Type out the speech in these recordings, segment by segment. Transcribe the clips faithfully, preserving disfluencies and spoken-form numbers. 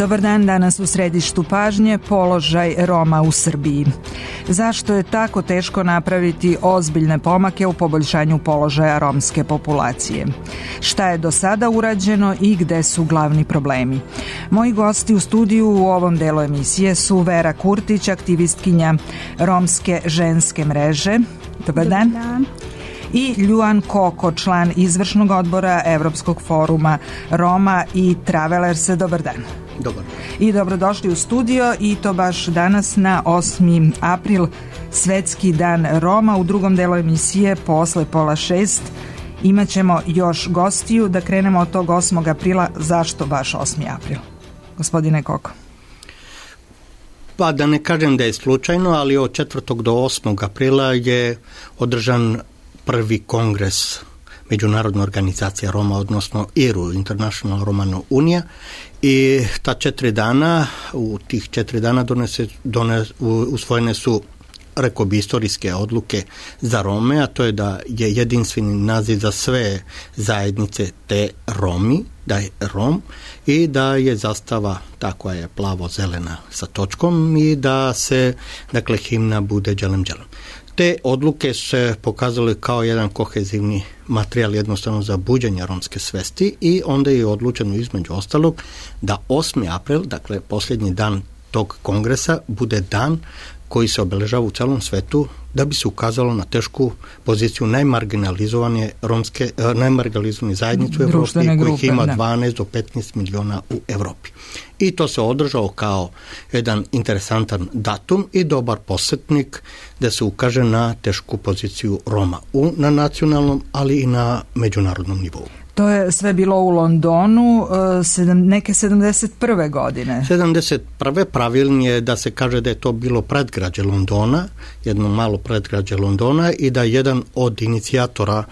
Dobar dan, danas u središtu pažnje položaj Roma u Srbiji. Zašto je tako teško napraviti ozbiljne pomake u poboljšanju položaja romske populacije? Šta je do sada urađeno i gde su glavni problemi? Moji gosti u studiju u ovom delu emisije su Vera Kurtić, aktivistkinja Romske ženske mreže. Dobar dan. Dobar dan. I Ljuan Koko, član izvršnog odbora Evropskog foruma Roma i Travelersa. Dobar dan. Dobar. I dobrodošli u studio, i to baš danas na osmi april, Svetski dan Roma. U drugom delu emisije posle pola šest imaćemo još gostiju. Da krenemo od tog osmog aprila. Zašto baš osmi april? Gospodine Koko. Pa da ne kažem da je slučajno, ali od četvrtog do osmog aprila je održan prvi kongres Međunarodne organizacije Roma, odnosno I R U, International Romano Unija, i ta četiri dana, u tih četiri dana donese, donese, usvojene su, rekao bi, istorijske odluke za Rome, a to je da je jedinstveni naziv za sve zajednice te Romi, da je Rom, i da je zastava ta koja je plavo-zelena sa točkom i da se, dakle, himna bude Đelem Đelem. Te odluke se pokazale kao jedan kohezivni materijal jednostavno za buđenje romske svesti, i onda je odlučeno između ostalog da osmi april, dakle posljednji dan tog kongresa, bude dan koji se obeležava u celom svetu da bi se ukazalo na tešku poziciju najmarginalizovane romske, najmarginalizovane zajednice u Evropi, kojih ima dvanaest do petnaest miliona u Evropi. I to se održao kao jedan interesantan datum i dobar posjetnik da se ukaže na tešku poziciju Roma u, na nacionalnom, ali i na međunarodnom nivou. To je sve bilo u Londonu sedam, neke sedamdeset prve godine. sedamdeset prve pravilnije da se kaže da je to bilo predgrađe Londona, jedno malo predgrađe Londona, i da jedan od inicijatora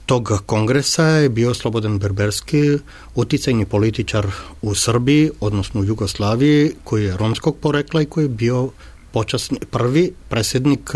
tog kongresa je bio Slobodan Berberski, uticajni političar u Srbiji, odnosno u Jugoslaviji, koji je romskog porekla i koji je bio počasni, prvi predsjednik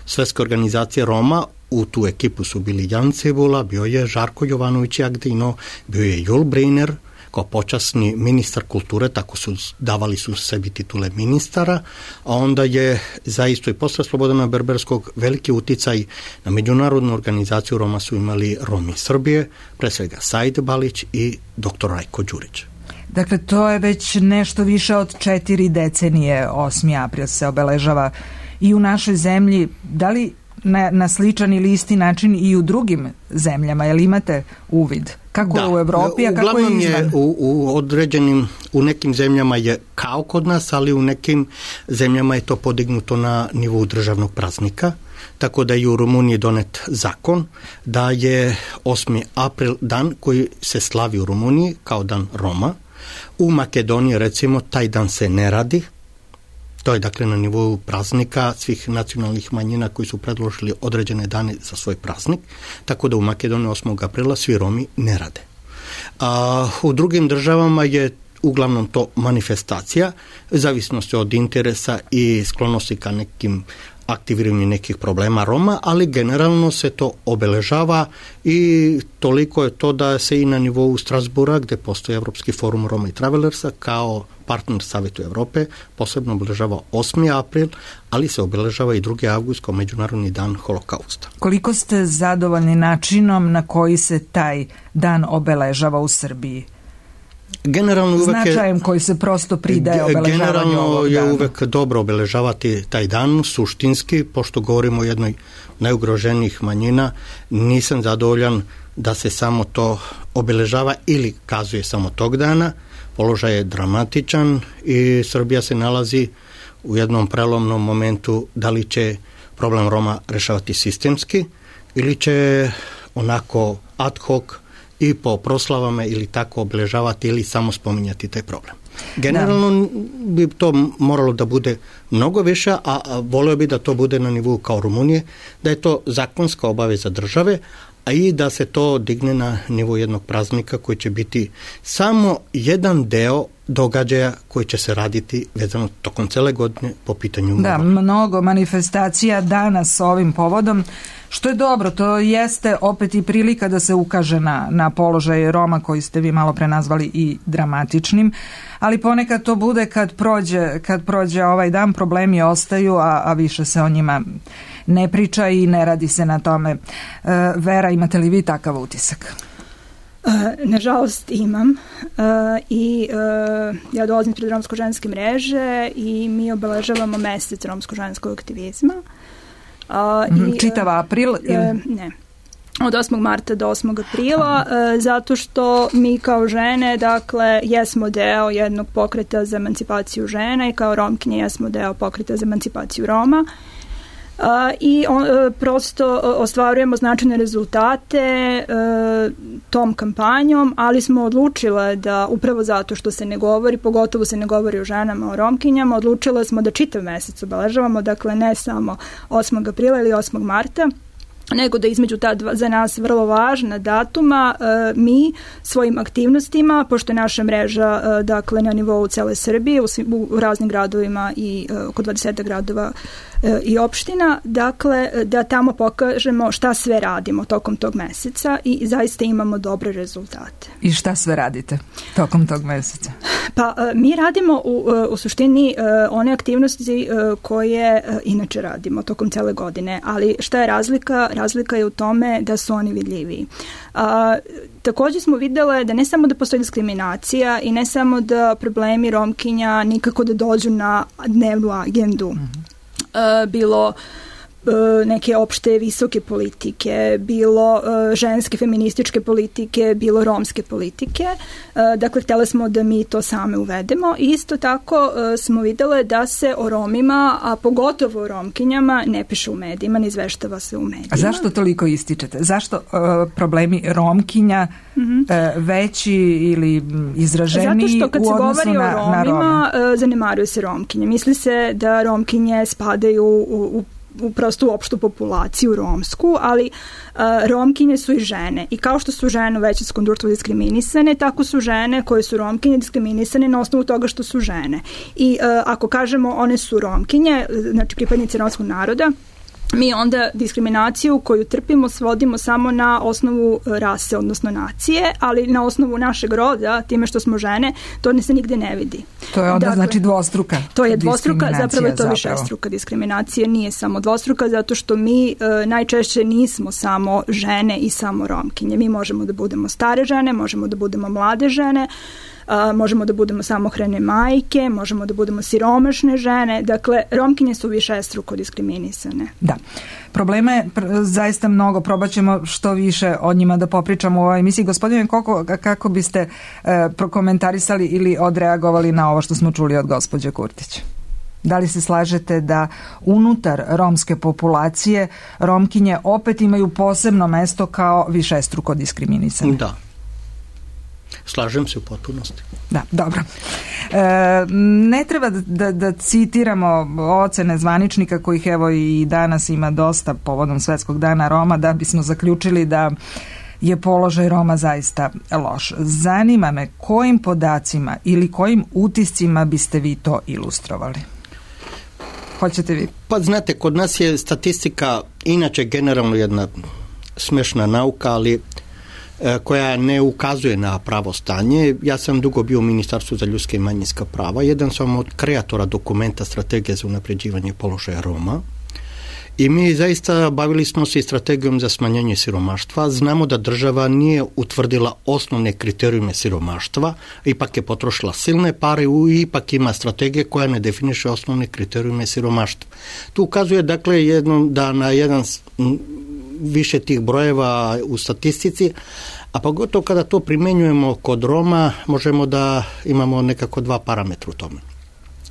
Svetske organizacije Roma. U tu ekipu su bili Jan Cebula, bio je Žarko Jovanović Jagdino, bio je Jul Briner kao počasni ministar kulture, tako su davali su sebi titule ministara, a onda je zaisto i posle Slobodana Berberskog veliki uticaj na međunarodnu organizaciju Roma su imali Romi Srbije, pre svega Said Balić i doktor Rajko Đurić. Dakle, to je već nešto više od četiri decenije, osmi april se obeležava i u našoj zemlji. Da li Na, na sličan ili isti način i u drugim zemljama? Jel imate uvid? Kako da, je u Evropi, a kako je izvan? Je u, u određenim, u nekim zemljama je kao kod nas, ali u nekim zemljama je to podignuto na nivou državnog praznika, tako da je u Rumuniji donet zakon da je osmi april dan koji se slavi u Rumuniji kao dan Roma. U Makedoniji, recimo, taj dan se ne radi. To je, dakle, na nivou praznika svih nacionalnih manjina koji su predložili određene dane za svoj praznik, tako da u Makedoniji osmog aprila svi Romi ne rade. A u drugim državama je uglavnom to manifestacija, zavisnosti od interesa i sklonosti ka nekim aktiviranju nekih problema Roma, ali generalno se to obeležava, i toliko je to da se i na nivou Strasbura, gde postoji Evropski forum Roma i Travelersa, kao partner Savetu Evrope, posebno obeležava osmi april, ali se obeležava i drugi avgust kao Međunarodni dan Holokausta. Koliko ste zadovoljni načinom na koji se taj dan obeležava u Srbiji? Generalno uvek značajem je, koji se prosto pridaje obeležavanju ovog dana. Je uvek dobro obeležavati taj dan, suštinski, pošto govorimo o jednoj najugroženijih manjina, nisam zadovoljan da se samo to obeležava ili kazuje samo tog dana. Položaj je dramatičan i Srbija se nalazi u jednom prelomnom momentu da li će problem Roma rešavati sistemski ili će onako ad hoc i po proslavama ili tako obeležavati ili samo spominjati taj problem. Generalno bi to moralo da bude mnogo više, a voleo bi da to bude na nivou kao Rumunije, da je to zakonska obaveza države, a i da se to digne na nivou jednog praznika koji će biti samo jedan deo događaja koji će se raditi vezano tokom cele godine po pitanju Roma. Da, mnogo manifestacija danas s ovim povodom, što je dobro, to jeste opet i prilika da se ukaže na, na položaj Roma koji ste vi malo pre nazvali i dramatičnim, ali ponekad to bude kad prođe, kad prođe ovaj dan, problemi ostaju, a, a više se o njima ne priča i ne radi se na tome. E, Vera, imate li vi takav utisak? Uh, nažalost imam uh, i uh, ja dolazim pred romsko-ženske mreže i mi obeležavamo mesec romsko-ženskog aktivizma. Uh, mm, i, čitav april? Ili? Uh, ne. Od osmog marta do osmog aprila, uh, zato što mi kao žene, dakle, jesmo deo jednog pokreta za emancipaciju žena i kao Romkinje jesmo deo pokreta za emancipaciju Roma. Uh, i on, uh, prosto uh, ostvarujemo značajne rezultate uh, tom kampanjom, ali smo odlučile da upravo zato što se ne govori, pogotovo se ne govori o ženama, o Romkinjama, odlučile smo da čitav mesec obeležavamo, dakle ne samo osmog aprila ili osmog marta, nego da između ta dva za nas vrlo važna datuma e, mi svojim aktivnostima, pošto je naša mreža e, dakle na nivou cele Srbije u, u raznim gradovima i e, oko dvadeset gradova e, i opština, dakle da tamo pokažemo šta sve radimo tokom tog meseca i zaista imamo dobre rezultate. I šta sve radite tokom tog meseca? Pa e, mi radimo u, u suštini e, one aktivnosti e, koje e, inače radimo tokom cele godine, ali šta je razlika? Razlika je u tome da su oni vidljiviji. A, također smo vidjeli da ne samo da postoji diskriminacija i ne samo da problemi Romkinja nikako da dođu na dnevnu agendu. Mm-hmm. A, bilo neke opšte visoke politike, bilo ženske feminističke politike, bilo romske politike. Dakle, htjeli smo da mi to same uvedemo. Isto tako smo vidjeli da se o Romima, a pogotovo o Romkinjama, ne piše u medijima, ne izveštava se u medijima. A zašto toliko ističete? Zašto uh, problemi Romkinja mm-hmm. uh, veći ili izraženiji u odnosu na, na Rome? Zato što kad se govori o Romima, uh, zanemaruje se Romkinje. Misli se da Romkinje spadaju u, u u prostu opštu populaciju romsku, ali uh, Romkinje su i žene. I kao što su žene u većinskom društvu diskriminisane, tako su žene koje su Romkinje diskriminisane na osnovu toga što su žene. I uh, ako kažemo one su Romkinje, znači pripadnice romskog naroda, mi onda diskriminaciju koju trpimo svodimo samo na osnovu rase, odnosno nacije, ali na osnovu našeg roda, time što smo žene, to ne se nigde ne vidi. To je onda dakle, znači dvostruka To je dvostruka, zapravo je to višestruka diskriminacija, nije samo dvostruka, zato što mi e, najčešće nismo samo žene i samo Romkinje. Mi možemo da budemo stare žene, možemo da budemo mlade žene, Uh, možemo da budemo samohrane majke, možemo da budemo siromašne žene. Dakle, Romkinje su višestruko diskriminisane. Da. Problema je pr- zaista mnogo. Probat ćemo što više o njima da popričamo u ovoj emisiji. Gospodine Koko, kako biste uh, prokomentarisali ili odreagovali na ovo što smo čuli od gospođe Kurtić? Da li se slažete da unutar romske populacije Romkinje opet imaju posebno mesto kao višestruko diskriminisane? Da. Slažem se u potpunosti. Da, dobro. E, ne treba da, da, da citiramo ocene zvaničnika kojih evo i danas ima dosta povodom Svetskog dana Roma da bismo zaključili da je položaj Roma zaista loš. Zanima me kojim podacima ili kojim utiscima biste vi to ilustrovali? Hoćete vi? Pa znate, kod nas je statistika inače generalno jedna smešna nauka, ali koja ne ukazuje na pravo stanje. Ja sam dugo bio u Ministarstvu za ljudske i manjinska prava. Jedan sam od kreatora dokumenta Strategije za unapređivanje položaja Roma. I mi zaista bavili smo se i strategijom za smanjenje siromaštva. Znamo da država nije utvrdila osnovne kriterijume siromaštva, ipak je potrošila silne pare i ipak ima strategije koja ne definiše osnovne kriterijume siromaštva. Tu ukazuje dakle jedno, da na jedan više tih brojeva u statistici, a pogotovo kada to primenjujemo kod Roma, možemo da imamo nekako dva parametra u tome.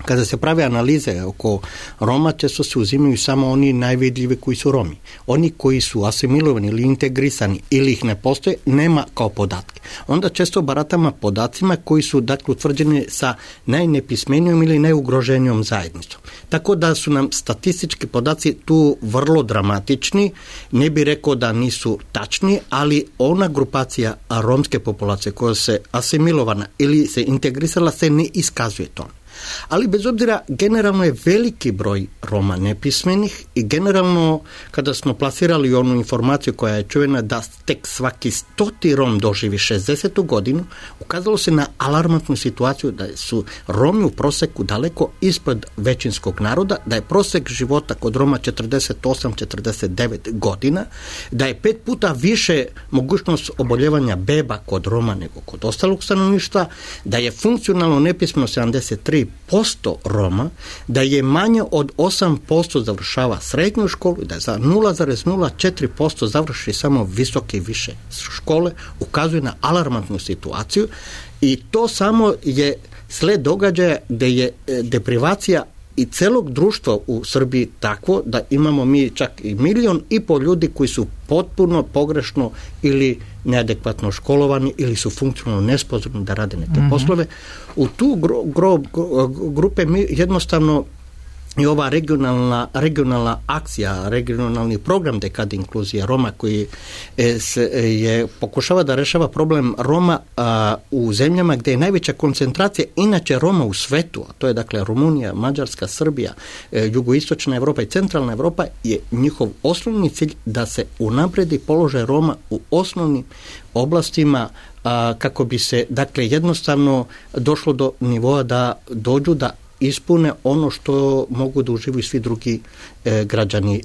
Kada se prave analize oko Roma, često se uzimaju samo oni najvidljivi koji su Romi. Oni koji su asimilovani ili integrisani ili ih ne postoje, nema kao podatke. Onda često baratamo podacima koji su dakle utvrđeni sa najnepismenijom ili najugroženijom zajednicom. Tako da su nam statistički podaci tu vrlo dramatični, ne bi rekao da nisu tačni, ali ona grupacija romske populacije koja se asimilovana ili se integrisala se ne iskazuje to. Ali bez obzira, generalno je veliki broj Roma nepismenih i generalno kada smo plasirali onu informaciju koja je čuvena da tek svaki stoti Rom doživi šezdesetu godinu, ukazalo se na alarmantnu situaciju da su Romi u proseku daleko ispod većinskog naroda, da je prosek života kod Roma četrdeset osam do četrdeset devet godina, da je pet puta više mogućnost oboljevanja beba kod Roma nego kod ostalog stanovništva, da je funkcionalno nepismeno sedamdeset tri posto Roma, da je manje od osam posto završava srednju školu i da za nula zarez nula četiri posto završi samo visoke i više škole, ukazuje na alarmantnu situaciju i to samo je sled događaja gde je deprivacija i celog društva u Srbiji takvo da imamo mi čak i milion i pol ljudi koji su potpuno pogrešno ili neadekvatno školovani ili su funkcionalno nesposobni da rade neke mm-hmm. poslove. U tu gro, gro, grupe mi jednostavno i ova regionalna, regionalna akcija, regionalni program dekade inkluzija Roma koji se, je pokušava da rešava problem Roma a, u zemljama gde je najveća koncentracija inače Roma u svetu, a to je dakle Rumunija, Mađarska, Srbija, e, jugoistočna Evropa i centralna Evropa, je njihov osnovni cilj da se unapredi položaj Roma u osnovnim oblastima a, kako bi se dakle jednostavno došlo do nivoa da dođu da ispune ono što mogu da uživaju svi drugi e, građani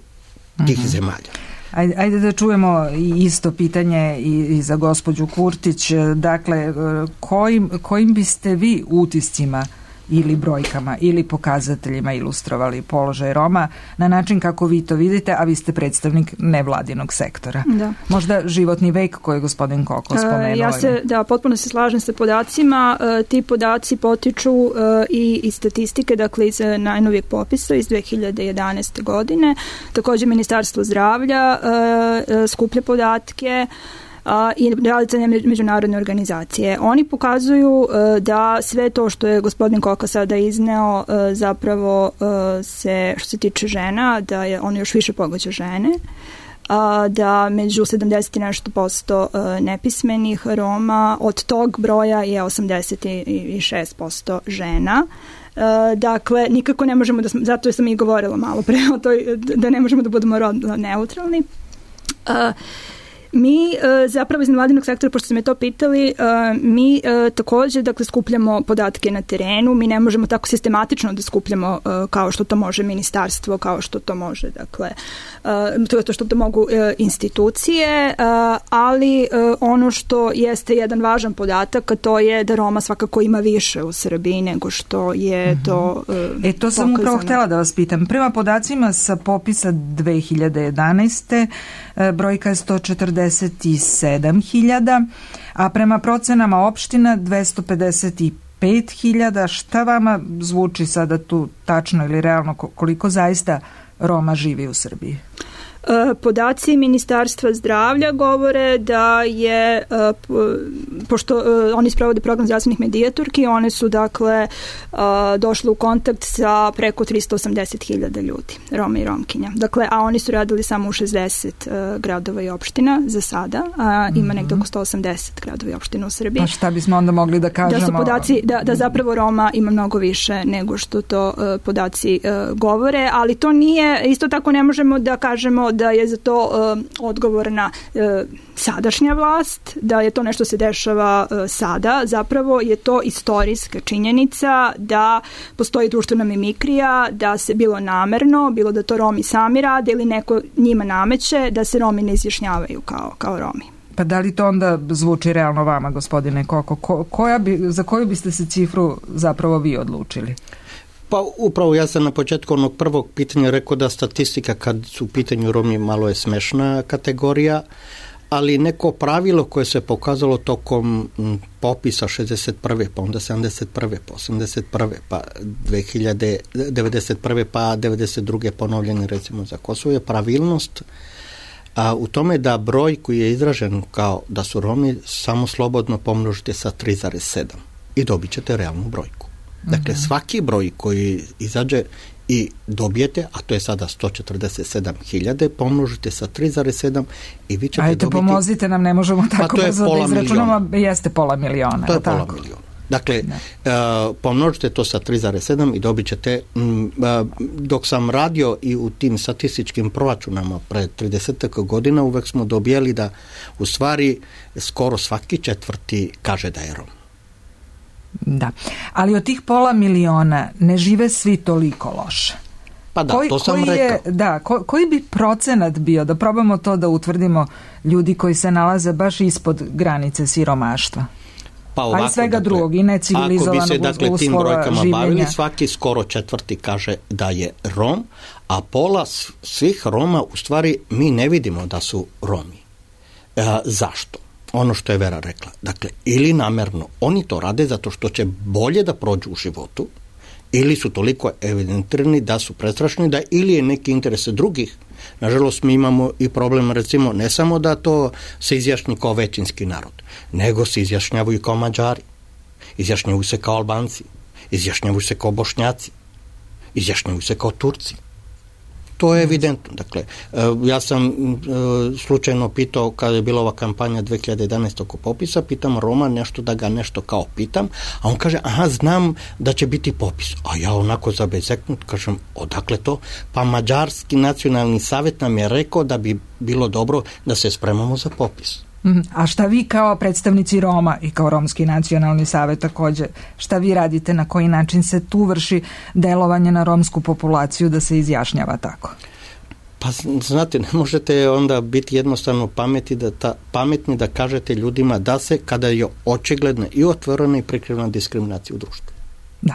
tih mm-hmm. zemalja. Ajde, ajde da čujemo isto pitanje i, i za gospođu Kurtić. Dakle, kojim, kojim biste vi utiscima ili brojkama ili pokazateljima ilustrovali položaj Roma na način kako vi to vidite, a vi ste predstavnik nevladinog sektora. Da. Možda životni vek koji je gospodin Koko spomenuo. Ja se, da, potpuno se slažem sa podacima. Ti podaci potiču i iz statistike, dakle iz najnovijeg popisa iz dve hiljade jedanaeste. godine. Također Ministarstvo zdravlja skuplja podatke a, i realizacije međunarodne organizacije. Oni pokazuju a, da sve to što je gospodin Koka sada izneo a, zapravo a, se, što se tiče žena, da je ono još više pogađa žene, a, da među sedamdeset i nešto posto a, nepismenih Roma, od tog broja je osamdeset šest posto žena. Uh, dakle, nikako ne možemo da, zato sam i govorila malo pre o toj, da ne možemo da budemo rodno neutralni. Uh, Mi e, zapravo iz nevladinog sektora, pošto ste me to pitali, e, mi e, također dakle, skupljamo podatke na terenu, mi ne možemo tako sistematično da skupljamo e, kao što to može ministarstvo, kao što to može, dakle, e, to je to što to mogu e, institucije, e, ali e, ono što jeste jedan važan podatak, a to je da Roma svakako ima više u Srbiji nego što je mm-hmm. to e, E, to sam pokazano. Upravo htjela da vas pitam. Prema podacima sa popisa dve hiljade jedanaeste. E, brojka je sto četrdeset sedam hiljada, a prema procenama opština dvesta pedeset pet hiljada. Šta vama zvuči sada tu tačno ili realno koliko zaista Roma živi u Srbiji? Podaci Ministarstva zdravlja govore da je, pošto oni sprovode program zdravstvenih medijatorki, one su dakle došle u kontakt sa preko tristo osamdeset hiljada ljudi, Roma i Romkinja. Dakle, a oni su radili samo u šezdeset gradova i opština za sada, a ima mm-hmm. nekdo oko sto osamdeset gradova i opština u Srbiji. Pa šta bismo onda mogli da kažemo? Da su podaci, da, da zapravo Roma ima mnogo više nego što to uh, podaci uh, govore, ali to nije, isto tako ne možemo da kažemo da je za to uh, odgovorna uh, sadašnja vlast, da je to nešto se dešava uh, sada, zapravo je to istorijska činjenica da postoji društvena mimikrija, da se bilo namerno, bilo da to Romi sami rade ili neko njima nameće, da se Romi ne izjašnjavaju kao, kao Romi. Pa da li to onda zvuči realno vama, gospodine Koko? Ko, koja bi, za koju biste se cifru zapravo vi odlučili? Pa upravo ja sam na početku onog prvog pitanja rekao da statistika kad su u pitanju Romi malo je smešna kategorija, ali neko pravilo koje se pokazalo tokom popisa šezdeset prve pa onda sedamdeset prve pa osamdeset prve pa dve hiljade devedeset prve pa devedeset druge ponovljene recimo za Kosovo je pravilnost a, u tome da broj koji je izražen kao da su Romi samo slobodno pomnožite sa tri zarez sedam i dobit ćete realnu brojku. Dakle, mm-hmm. svaki broj koji izađe i dobijete, a to je sada sto četrdeset sedam hiljada, pomnožite sa tri zarez sedam i vi ćete Ajde, dobiti... Ajde, pomozite nam, ne možemo tako pa brzo da izračunamo, jeste pola miliona. To je tako? pola miliona. Dakle, uh, pomnožite to sa tri zarez sedam i dobit ćete, um, uh, dok sam radio i u tim statističkim proračunama pre trideset godina, uvek smo dobijali da u stvari skoro svaki četvrti kaže da je Rom. Da, ali od tih pola miliona ne žive svi toliko loše. Pa da, koji, to sam koji rekao. Je, da, ko, koji bi procenat bio, da probamo to da utvrdimo, ljudi koji se nalaze baš ispod granice siromaštva? Pa ovako, a i svega dakle, drugog i necivilizovanog ako bi se dakle tim brojkama življenja. Bavili, svaki skoro četvrti kaže da je Rom, a pola svih Roma u stvari mi ne vidimo da su Romi. E, zašto? Ono što je Vera rekla. Dakle, ili namerno oni to rade zato što će bolje da prođu u životu, ili su toliko evidentirani da su prestrašni, da ili je neki interes drugih. Nažalost, mi imamo i problem, recimo, ne samo da to se izjašnji kao većinski narod, nego se izjašnjavaju kao Mađari, izjašnjavaju se kao Albanci, izjašnjavaju se kao Bošnjaci, izjašnjavaju se kao Turci. To je evidentno. Dakle, ja sam slučajno pitao, kada je bila ova kampanja dve hiljade jedanaeste oko popisa, pitam Roma nešto da ga nešto kao pitam, a on kaže, aha, znam da će biti popis. A ja onako zabezeknut kažem, odakle to? Pa Mađarski nacionalni savjet nam je rekao da bi bilo dobro da se spremamo za popis. A šta vi kao predstavnici Roma i kao Romski nacionalni savjet također, šta vi radite, na koji način se tu vrši delovanje na romsku populaciju da se izjašnjava tako? Pa znate, ne možete onda biti jednostavno pameti da ta, pametni da kažete ljudima da se, kada je očigledna i otvorena i prikrivena diskriminacija u društvu. Da.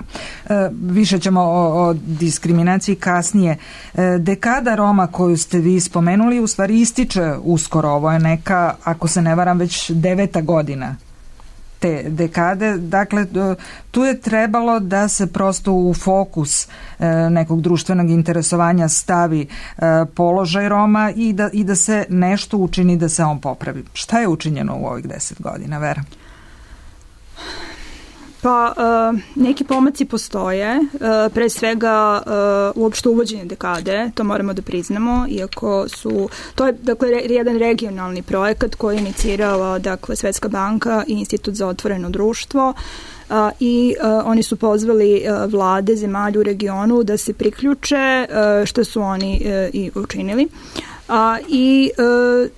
E, više ćemo o, o diskriminaciji kasnije. E, dekada Roma koju ste vi spomenuli u stvari ističe uskoro. Ovo je neka, ako se ne varam, već deveta godina te dekade. Dakle, tu je trebalo da se prosto u fokus e, nekog društvenog interesovanja stavi e, položaj Roma i da, i da se nešto učini da se on popravi. Šta je učinjeno u ovih deset godina, Vera? Pa uh, neki pomaci postoje, uh, pre svega uh, uopšte uvođenje dekade, to moramo da priznamo, iako su, to je dakle re, jedan regionalni projekat koji je inicirala dakle Svetska banka i Institut za otvoreno društvo uh, i uh, oni su pozvali uh, vlade zemalja u regionu da se priključe, uh, što su oni uh, i učinili. Uh, I uh,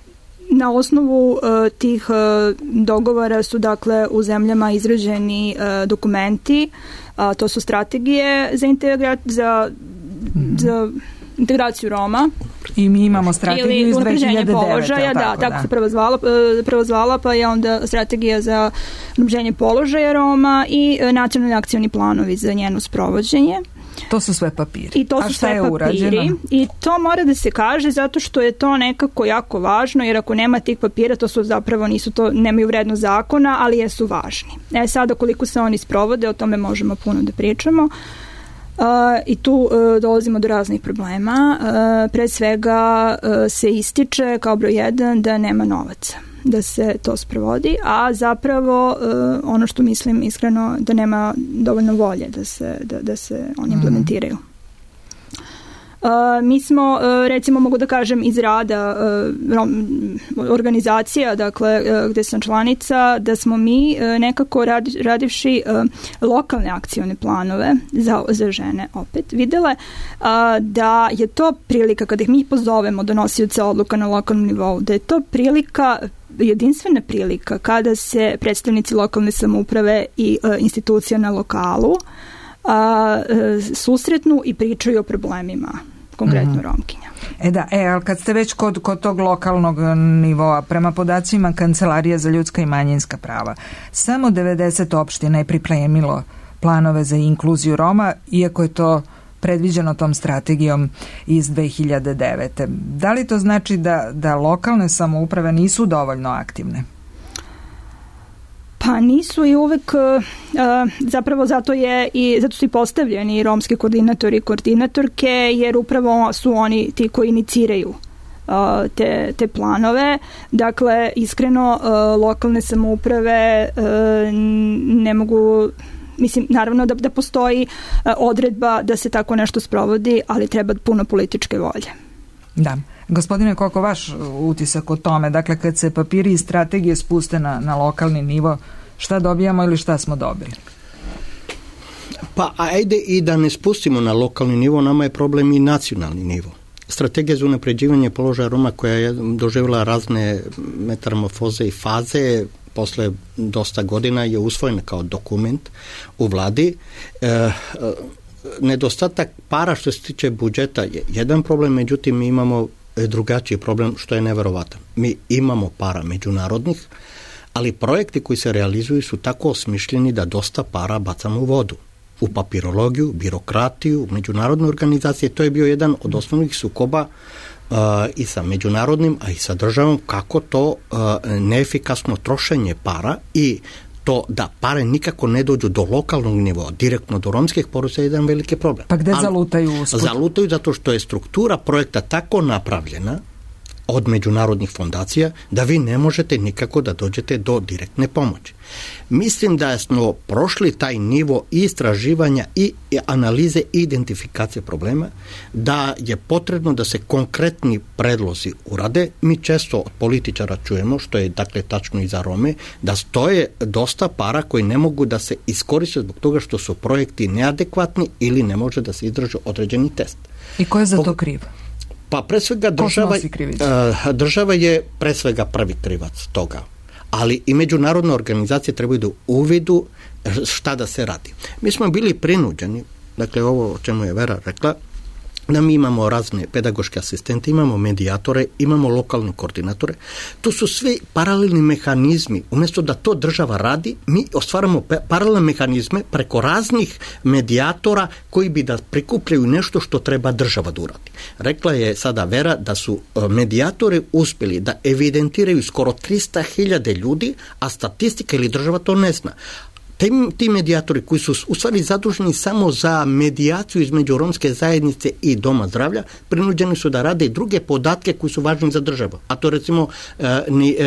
Na osnovu uh, tih uh, dogovora su dakle u zemljama izrađeni uh, dokumenti, uh, to su strategije za, integra- za, mm-hmm. za integraciju Roma. I mi imamo strategiju iz dve hiljade devete. Položaja, da, tako da. se prvo zvala, prvo zvala, pa je onda strategija za unapređenje položaja Roma i uh, nacionalni akcioni planovi za njeno sprovođenje. To su sve papiri. I to su A šta sve je papiri. Urađeno? I to mora da se kaže zato što je to nekako jako važno, jer ako nema tih papira, to su zapravo nisu to, nemaju vrednost zakona, ali jesu važni. E sada koliko se oni sprovode, o tome možemo puno da pričamo. Uh, I tu uh, dolazimo do raznih problema. Uh, pre svega uh, se ističe kao broj jedan da nema novaca da se to sprovodi, a zapravo uh, ono što mislim iskreno da nema dovoljno volje da se, da, da se oni implementiraju. Uh, mi smo, uh, recimo mogu da kažem iz rada uh, rom, organizacija, dakle uh, gde sam članica, da smo mi uh, nekako radi, radivši uh, lokalne akcione planove za, za žene opet videle uh, da je to prilika kada ih mi pozovemo donosioce odluka na lokalnom nivou, da je to prilika jedinstvena prilika kada se predstavnici lokalne samouprave i uh, institucija na lokalu uh, susretnu i pričaju o problemima, konkretno mm-hmm. Romkinja. E da, e, ali kad ste već kod, kod tog lokalnog nivoa, prema podacima Kancelarije za ljudska i manjinska prava, samo devedeset opština je pripremilo planove za inkluziju Roma, iako je to predviđeno tom strategijom iz dve hiljade devete. Da li to znači da, da lokalne samouprave nisu dovoljno aktivne? Pa nisu i uvek, uh, zapravo zato je i zato su i postavljeni romski koordinatori i koordinatorke, jer upravo su oni ti koji iniciraju uh, te, te planove. Dakle, iskreno, uh, lokalne samouprave uh, ne mogu, mislim, naravno da, da postoji uh, odredba da se tako nešto sprovodi, ali treba puno političke volje. Da. Gospodine Koko, vaš utisak o tome, dakle kad se papiri i strategije spuste na, na lokalni nivo, šta dobijamo ili šta smo dobili? Pa ajde i da ne spustimo na lokalni nivo, nama je problem i nacionalni nivo. Strategija za unapređivanje položaja Roma koja je doživjela razne metamorfoze i faze, posle dosta godina je usvojena kao dokument u vladi. E, nedostatak para što se tiče budžeta je jedan problem, međutim mi imamo drugačiji problem što je neverovatan. Mi imamo para međunarodnih, ali projekti koji se realizuju su tako osmišljeni da dosta para bacamo u vodu. U papirologiju, birokratiju, međunarodne organizacije. To je bio jedan od osnovnih sukoba uh, i sa međunarodnim, a i sa državom, kako to uh, neefikasno trošenje para i to da pare nikako ne dođu do lokalnog nivoa, direktno do romskih porodica je jedan veliki problem. Pa gde Ali, zalutaju usput? Zalutaju zato što je struktura projekta tako napravljena od međunarodnih fondacija da vi ne možete nikako da dođete do direktne pomoći. Mislim da smo prošli taj nivo istraživanja i analize i identifikacije problema, da je potrebno da se konkretni predlozi urade. Mi često od političara čujemo, što je dakle tačno i za Rome, da stoje dosta para koji ne mogu da se iskoriste zbog toga što su projekti neadekvatni ili ne može da se izdrži određeni test. I ko je za to kriv? Pa pre svega država, država je pre svega prvi krivac toga, ali i međunarodne organizacije trebaju da uvidu šta da se radi. Mi smo bili prinuđeni, dakle ovo o čemu je Vera rekla, da mi imamo razne pedagoške asistente, imamo medijatore, imamo lokalne koordinatore. To su sve paralelni mehanizmi. Umjesto da to država radi, mi ostvaramo paralelne mehanizme preko raznih medijatora koji bi da prikupljaju nešto što treba država da uradi. Rekla je sada Vera da su medijatori uspjeli da evidentiraju skoro trista hiljada ljudi, a statistika ili država to ne zna. Ti medijatori koji su u stvari zaduženi samo za medijaciju između romske zajednice i doma zdravlja, prinuđeni su da rade i druge podatke koji su važni za državu. A to recimo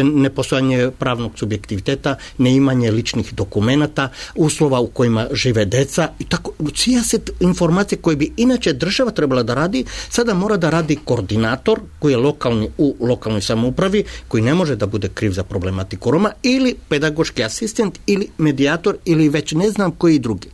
nepostojanje pravnog subjektiviteta, neimanje ličnih dokumenata, uslova u kojima žive deca i tako. Sijaset informacije koje bi inače država trebala da radi, sada mora da radi koordinator koji je lokalni u lokalnoj samoupravi, koji ne može da bude kriv za problematiku Roma, ili pedagoški asistent ili medijator ili već ne znam koji drugi.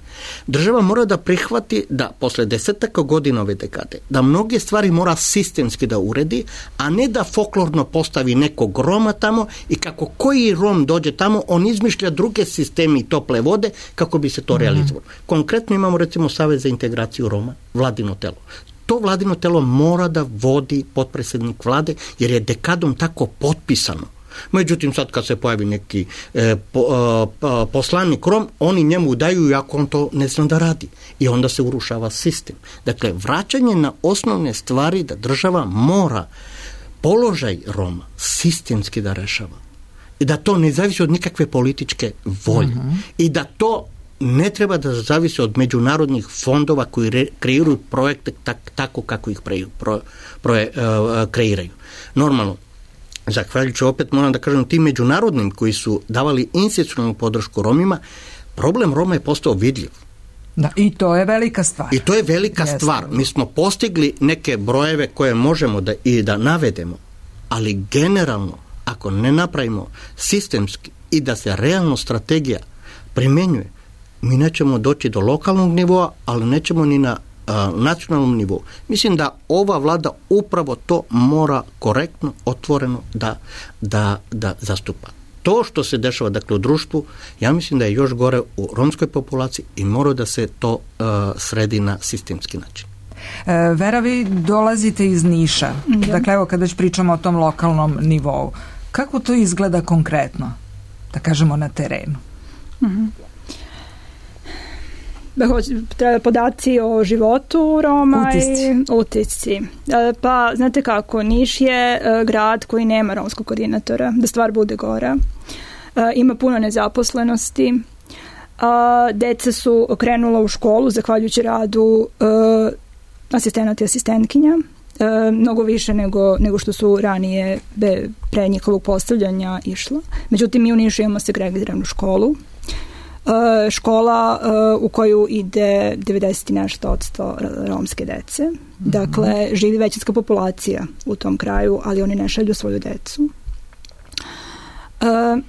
Država mora da prihvati da posle desetaka godina ove dekade, da mnoge stvari mora sistemski da uredi, a ne da folklorno postavi nekog Roma tamo i kako koji Rom dođe tamo, on izmišlja druge sisteme i tople vode kako bi se to mm-hmm. realizovalo. Konkretno imamo recimo Savez za integraciju Roma, vladino telo. To vladino telo mora da vodi potpredsjednik vlade jer je dekadom tako potpisano. Međutim, sad kad se pojavi neki e, po, e, poslanik Rom, oni njemu daju iako on to ne zna da radi. I onda se urušava sistem. Dakle, vraćanje na osnovne stvari da država mora položaj Roma sistemski da rešava. I da to ne zavisi od nikakve političke volje. Mm-hmm. I da to ne treba da zavisi od međunarodnih fondova koji re, kreiraju projekte tak, tako kako ih pre, pro, pro, e, kreiraju. Normalno, zahvaljujući opet moram da kažem tim međunarodnim koji su davali institucionalnu podršku Romima, problem Roma je postao vidljiv. Da, i to je velika stvar. I to je velika Jeste. stvar. Mi smo postigli neke brojeve koje možemo da i da navedemo, ali generalno ako ne napravimo sistemski i da se realno strategija primenjuje, mi nećemo doći do lokalnog nivoa, ali nećemo ni na nacionalnom nivou. Mislim da ova vlada upravo to mora korektno, otvoreno da, da, da zastupa. To što se dešava dakle u društvu, ja mislim da je još gore u romskoj populaciji i mora da se to uh, sredi na sistemski način. E, Vera, vi dolazite iz Niša. Mm-hmm. Dakle, evo kada već pričamo o tom lokalnom nivou. Kako to izgleda konkretno? Da kažemo na terenu. Mhm. treba podaci o životu Roma utisci. i utisci. Pa, znate kako, Niš je grad koji nema romskog koordinatora, da stvar bude gora. Ima puno nezaposlenosti. Deca su krenula u školu zahvaljujući radu asistenata i asistentkinja, mnogo više nego, nego što su ranije be, pre njihovog postavljanja išla. Međutim, mi u Nišu imamo segregiranu školu. Uh, škola uh, u koju ide devedeset i nešto odsto romske dece. Mm-hmm. Dakle, živi većinska populacija u tom kraju, ali oni ne šalju svoju decu. Uh,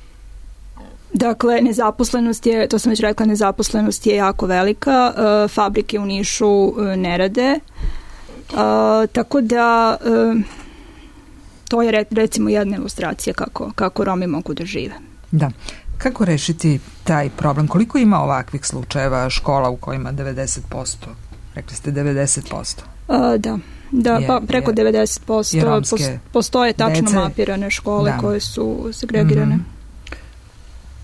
dakle, nezaposlenost je, to sam već rekla, nezaposlenost je jako velika. Uh, fabrike u Nišu uh, ne rade. Uh, tako da uh, to je recimo jedna ilustracija kako, kako Romi mogu da žive. Da. Kako rešiti taj problem? Koliko ima ovakvih slučajeva škola u kojima devedeset posto? Rekli ste devedeset posto. Uh, da, da je, pa preko je, devedeset posto postoje tačno dece, mapirane škole da. koje su segregirane. Mm-hmm.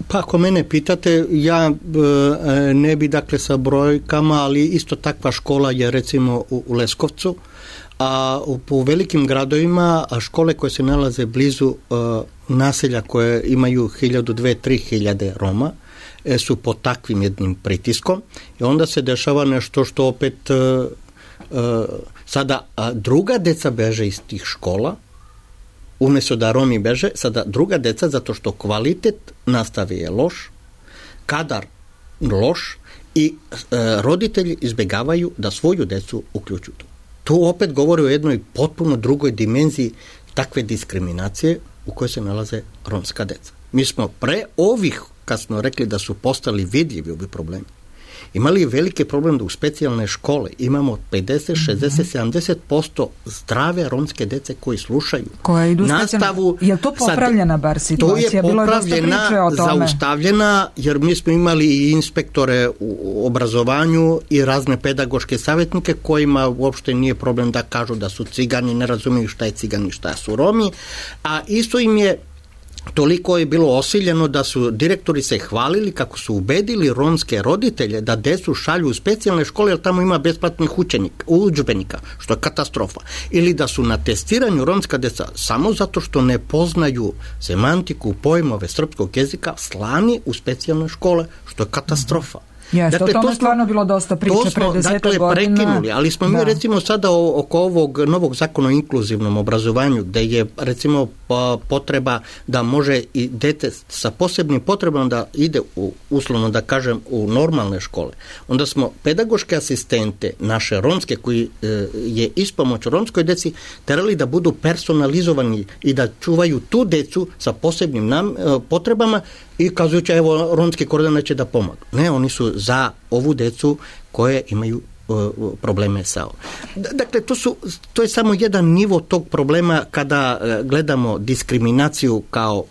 Pa ako mene pitate, ja e, ne bi dakle sa brojkama, ali isto takva škola je recimo u, u Leskovcu, a u, u velikim gradovima a škole koje se nalaze blizu e, naselja koje imaju hiljadu, dve, tri hiljade Roma e, su pod takvim jednim pritiskom i onda se dešava nešto što opet e, e, sada a druga deca beže iz tih škola, umjesto da Romi beže, sada druga deca, zato što kvalitet nastave je loš, kadar loš i e, roditelji izbjegavaju da svoju decu uključuju. To opet govori o jednoj potpuno drugoj dimenziji takve diskriminacije u kojoj se nalaze romska deca. Mi smo pre ovih, kad smo rekli da su postali vidljivi ovi problemi, imali veliki problem da u specijalne škole imamo pedeset, šezdeset, sedamdeset posto zdrave romske dece koji slušaju koja idu nastavu. Je li to popravljena bar situacija? To je popravljena, zaustavljena, jer mi smo imali i inspektore u obrazovanju i razne pedagoške savjetnike kojima uopšte nije problem da kažu da su cigani, ne razumiju šta je cigani, šta su Romi, a isto im je toliko je bilo osiljeno da su direktori se hvalili kako su ubedili romske roditelje da decu šalju u specijalne škole jer tamo ima besplatnih učenika, udžbenika, što je katastrofa. Ili da su na testiranju romska deca samo zato što ne poznaju semantiku, pojmove srpskog jezika slani u specijalne škole, što je katastrofa. Jeste, dakle, o tome stvarno bilo dosta priče pre desetak dakle, godina. Prekinuli, ali smo da. mi recimo sada oko ovog novog zakona o inkluzivnom obrazovanju, gde je recimo potreba da može i dete sa posebnim potrebama da ide u, uslovno da kažem, u normalne škole. Onda smo pedagoške asistente, naše romske, koji e, je ispomoć romskoj deci, terali da budu personalizovani i da čuvaju tu decu sa posebnim nam, e, potrebama i kazujući, evo, romski koordinator će da pomogu. Ne, oni su za ovu decu koje imaju uh, probleme sa ovom. Dakle, to, su, to je samo jedan nivo tog problema kada uh, gledamo diskriminaciju kao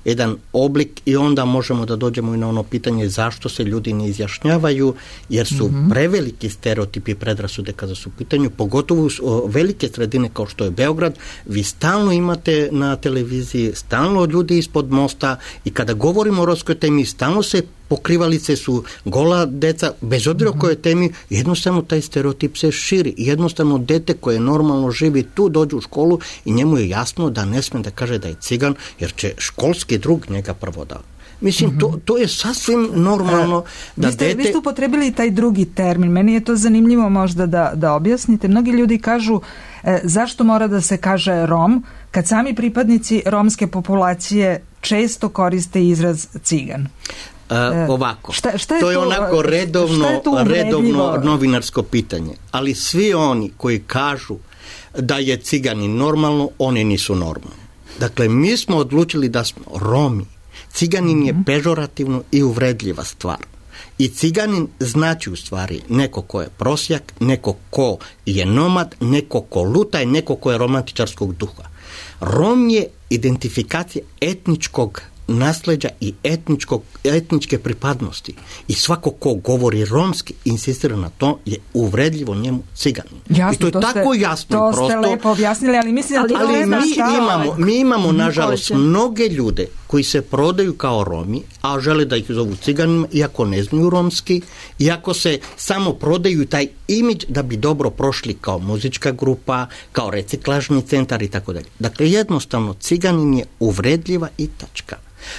jedan oblik i onda možemo da dođemo i na ono pitanje zašto se ljudi ne izjašnjavaju, jer su mm-hmm. preveliki stereotipi i predrasude kada su u pitanju, pogotovo u velike sredine kao što je Beograd, vi stalno imate na televiziji, stalno ljudi ispod mosta i kada govorimo o romskoj temi, stalno se pokrivalice su gola deca, bez obzira o kojoj temi, jednostavno taj stereotip se širi. Jednostavno dete koje normalno živi tu dođe u školu i njemu je jasno da ne sme da kaže da je cigan, jer će školski drug njega prvo da. Mislim, mm-hmm. to, to je sasvim normalno. E, da vi, ste, dete... vi ste upotrebili taj drugi termin. Meni je to zanimljivo možda da, da objasnite. Mnogi ljudi kažu e, zašto mora da se kaže Rom, kad sami pripadnici romske populacije često koriste izraz cigan. Uh, ovako, šta, šta je to je to, onako redovno, je redovno novinarsko pitanje, ali svi oni koji kažu da je ciganin normalno, oni nisu normalni. Dakle, mi smo odlučili da smo Romi. Ciganin mm-hmm. je pežorativno i uvredljiva stvar. I ciganin znači u stvari neko ko je prosjak, neko ko je nomad, neko ko luta i neko ko je romantičarskog duha. Rom je identifikacija etničkog nasleđa i etničkog, etničke pripadnosti. I svako ko govori romski, insistira na to, je uvredljivo njemu ciganin. Jasno, I to je to tako ste, jasno to i prosto. To ste lepo objasnili, ali mislim da to ali ne mi imamo, mi imamo, mm, nažalost, mnoge ljude koji se prodaju kao Romi, a žele da ih zovu ciganima, iako ne znaju romski, iako se samo prodaju taj imidž da bi dobro prošli kao muzička grupa, kao reciklažni centar i tako dalje. Dakle, jednostavno, ciganin je uvredljiva i tačka.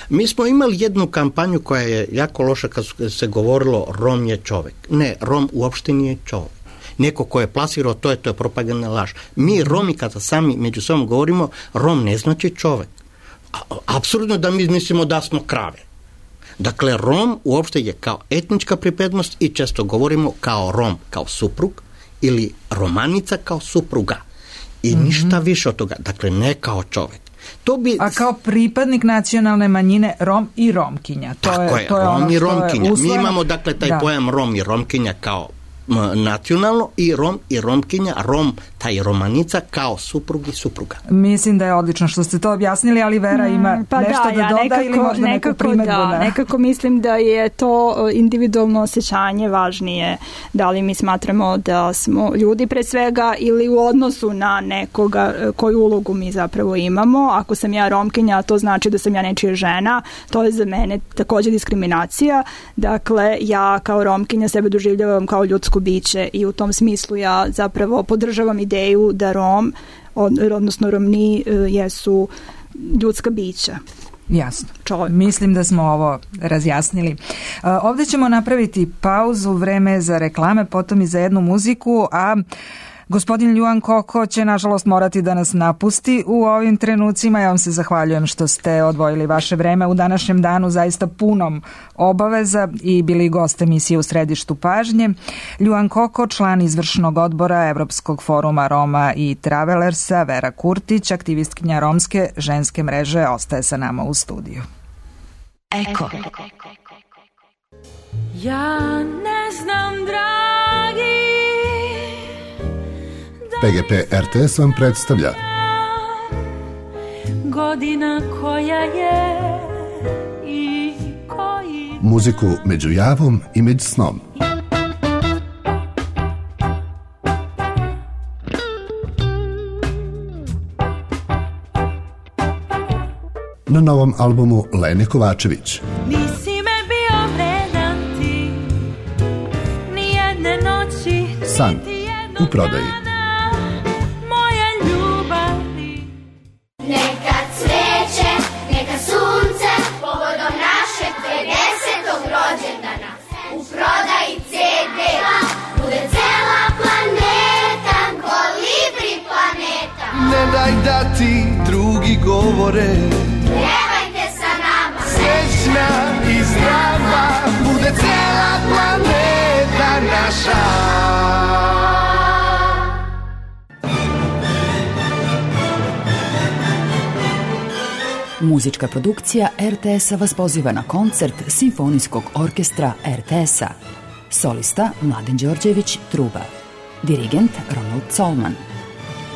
Mi smo imali jednu kampanju koja je jako loša kad se govorilo Rom je čovek. Ne, Rom uopšte nije čovek. Neko ko je plasirao to je, to je propagandna laž. Mi Romi kada sami među sobom govorimo, Rom ne znači čovek. Apsurdno da mi mislimo da smo krave. Dakle, Rom uopšte je kao etnička pripadnost i često govorimo kao Rom, kao suprug ili Romanica kao supruga. I mm-hmm. ništa više od toga. Dakle, ne kao čovek. To bi... A kao pripadnik nacionalne manjine Rom i Romkinja. To Tako je, je, to je Rom ono i Romkinja. Mi imamo dakle taj da. pojam Rom i Romkinja kao nacionalno i Rom i Romkinja, Rom, taj Romanica kao suprug i supruga. Mislim da je odlično što ste to objasnili, ali Vera ima pa nešto da, da ja doda nekako, ili možda neku nekako, primedbu. Da, na... nekako mislim da je to individualno osjećanje važnije. Da li mi smatramo da smo ljudi pre svega ili u odnosu na nekoga koju ulogu mi zapravo imamo. Ako sam ja Romkinja, to znači da sam ja nečija žena. To je za mene također diskriminacija. Dakle, ja kao Romkinja sebe doživljavam kao ljudsko biće i u tom smislu ja zapravo podržavam ideju da Rom, odnosno Romni, jesu ljudska bića. Jasno. Čovjek. Mislim da smo ovo razjasnili. Ovdje ćemo napraviti pauzu, vreme za reklame, potom i za jednu muziku, a gospodin Ljuan Koko će nažalost morati da nas napusti u ovim trenucima. Ja vam se zahvaljujem što ste odvojili vaše vreme u današnjem danu, zaista punom obaveza i bili gost emisije U središtu pažnje. Ljuan Koko, član izvršnog odbora Evropskog foruma Roma i Travelersa, Vera Kurtić, aktivistkinja romske ženske mreže, ostaje sa nama u studiju. Eko. Ja ne znam, dragi, P G P R T S vam predstavlja godina koja je i koji muziku među javom i među snom. Na novom albumu Lene Kovačević. Nisi me bio vredan ti, nijedne noći, San u prodaji. Ne daj da ti drugi govore, pjevajte sa nama, srećna i zdrava bude cijela planeta naša. Muzička produkcija R T S-a vas poziva na koncert Simfonijskog orkestra R T S-a. Solista Mladen Đorđević, truba. Dirigent Ronald Colman.